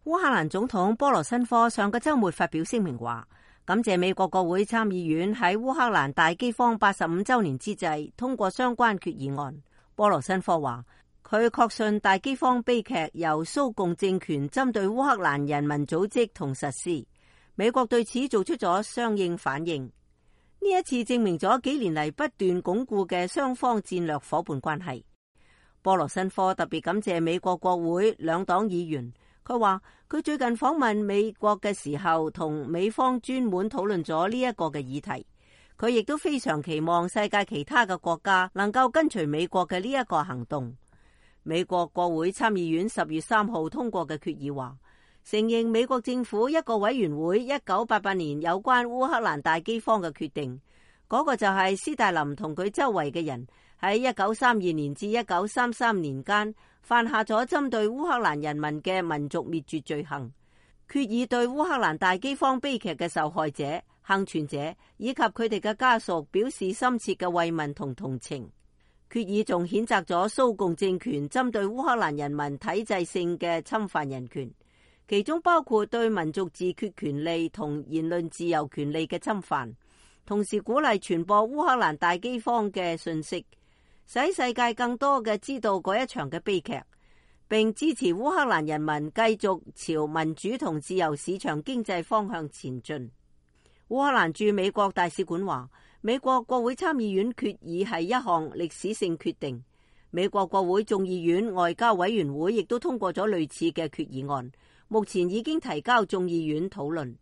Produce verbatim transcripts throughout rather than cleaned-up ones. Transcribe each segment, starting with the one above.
烏克蘭總統波羅申科上個週末發表聲明話，感謝美國國會參議院喺烏克蘭大饑荒八十五週年之際通過相關決議案。波羅申科話，佢確信大饑荒悲劇由蘇共政權針對烏克蘭人民組織同實施，美國對此做出咗相應反應。呢一次證明咗幾年嚟不斷鞏固嘅雙方戰略夥伴關係。波羅申科特別感謝美國國會兩黨議員。佢話佢最近訪問美國嘅時候，同美方專門討論咗呢一個嘅議題。佢亦都非常期望世界其他嘅國家能夠跟隨美國嘅呢一個行動。美國國會參議院十月三號通過嘅決議話，承認美國政府一個委員會一九八八年有關烏克蘭大饑荒嘅決定，嗰、那個就係斯大林同佢周圍嘅人喺一九三二年至一九三三年間犯下咗針對烏克蘭人民嘅民族滅絕罪行。決議對烏克蘭大饑荒悲劇嘅受害者、幸存者以及佢哋嘅家屬表示深切嘅慰問同同情。決議仲譴責咗蘇共政權針對烏克蘭人民體制性嘅侵犯人權，其中包括對民族自決權利同言論自由權利嘅侵犯，同時鼓勵傳播烏克蘭大饑荒嘅信息，使世界更多嘅知道嗰一場嘅悲劇，並支持烏克蘭人民繼續朝民主同自由市場經濟方向前進。烏克蘭駐美國大使館話，美國國會參議院決議係一項歷史性決定。美國國會眾議院外交委員會亦都通過咗類似嘅決議案，目前已經提交眾議院討論。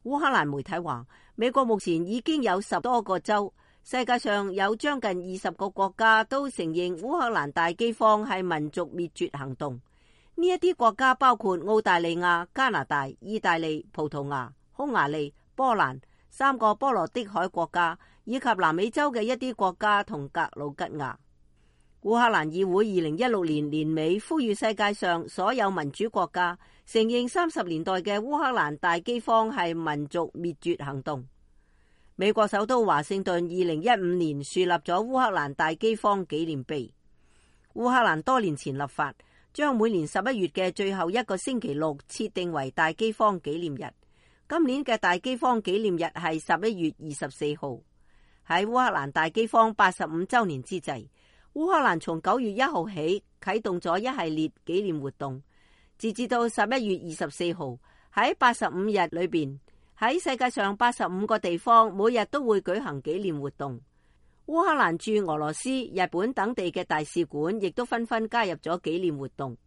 烏克蘭媒體話，美國目前已經有十多個州，世界上有將近二十個國家都承認烏克蘭大饑荒係民族滅絕行動。呢一啲國家包括澳大利亞、加拿大、意大利、葡萄牙、匈牙利、波蘭、三個波羅的海國家，以及南美洲嘅一啲國家同格魯吉亞。烏克蘭議會二零一六年年尾呼籲世界上所有民主國家承認三十年代嘅烏克蘭大饑荒係民族滅絕行動。美國首都華盛頓二零一五年樹立咗烏克蘭大饑荒紀念碑。烏克蘭多年前立法，將每年十一月嘅最後一個星期六設定為大饑荒紀念日。今年嘅大饑荒紀念日係十一月二十四號。喺烏克蘭大饑荒八十五週年之際，烏克蘭從九月一號起啟動咗一系列紀念活動，截至到十一月二十四號，喺八十五日裏邊，喺世界上八十五個地方每日都會舉行紀念活動。烏克蘭駐俄羅斯、日本等地嘅大使館亦都紛紛加入咗紀念活動。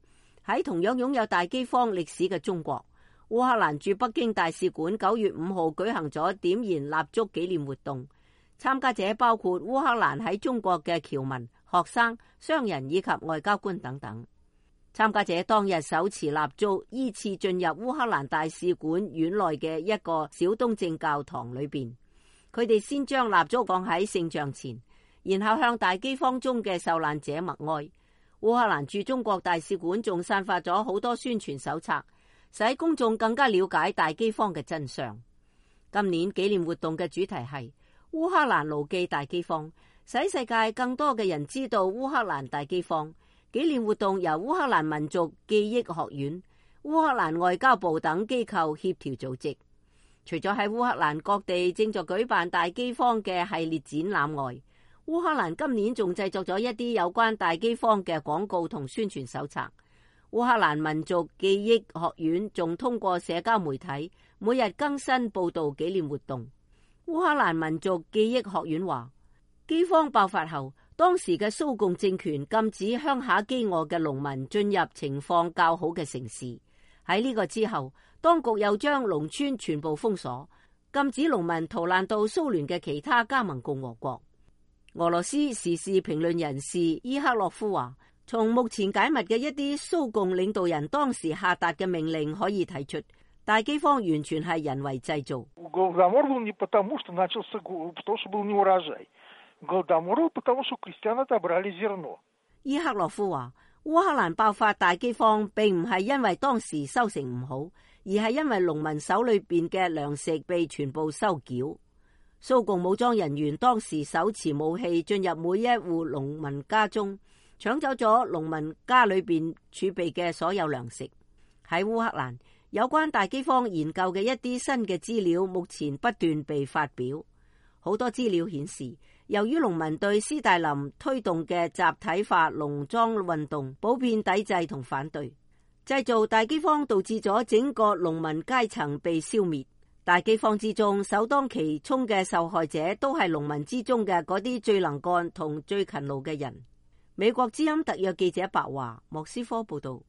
喺同樣擁有大饑荒歷史嘅中國，烏克蘭駐北京大使館九月五號舉行咗點燃蠟燭紀念活動，參加者包括烏克蘭喺中國嘅僑民、學生、商人以及外交官等等。參加者當日手持蠟燭，依次進入烏克蘭大使館院內嘅一個小東正教堂裏邊。佢哋先將蠟燭放喺聖像前，然後向大饑荒中嘅受難者默哀。烏克蘭駐中國大使館仲散發咗好多宣傳手冊，使公眾更加了解大饑荒嘅真相。今年紀念活動嘅主題係烏克蘭牢記大饑荒，使世界更多嘅人知道烏克蘭大饑荒。紀念活動由烏克蘭民族記憶學院、烏克蘭外交部等機構協調組織。除咗喺烏克蘭各地正在舉辦大饑荒嘅系列展覽外，烏克蘭今年仲製作咗一啲有關大饑荒嘅廣告同宣傳手冊。烏克蘭民族記憶學院仲通過社交媒體每日更新報道紀念活動。烏克蘭民族記憶學院話，饑荒爆發後，當時嘅蘇共政權禁止鄉下飢餓嘅農民進入情況較好嘅城市。喺呢個之後，當局又將農村全部封鎖，禁止農民逃難到蘇聯嘅其他加盟共和國。俄羅斯時事評論人士伊克洛夫話，從目前解密嘅一啲蘇共領導人當時下達嘅命令可以睇出，大饑荒完全係人為製造。伊克洛夫話，烏克蘭爆發大饑荒並唔係因為當時收成唔好，而係因為農民手裏邊嘅糧食被全部收繳。蘇共武裝人員當時手持武器進入每一戶農民家中，搶走咗農民家裏邊儲備嘅所有糧食。喺烏克蘭，有關大饑荒研究嘅一啲新嘅資料目前不斷被發表。好多資料顯示，由於農民對斯大林推動嘅集體化農莊運動普遍抵制同反對，製造大饑荒導致咗整個農民階層被消滅。大饑荒之中首當其衝嘅受害者都係農民之中嘅嗰啲最能幹同最勤勞嘅人。美國之音特約記者白華莫斯科報道。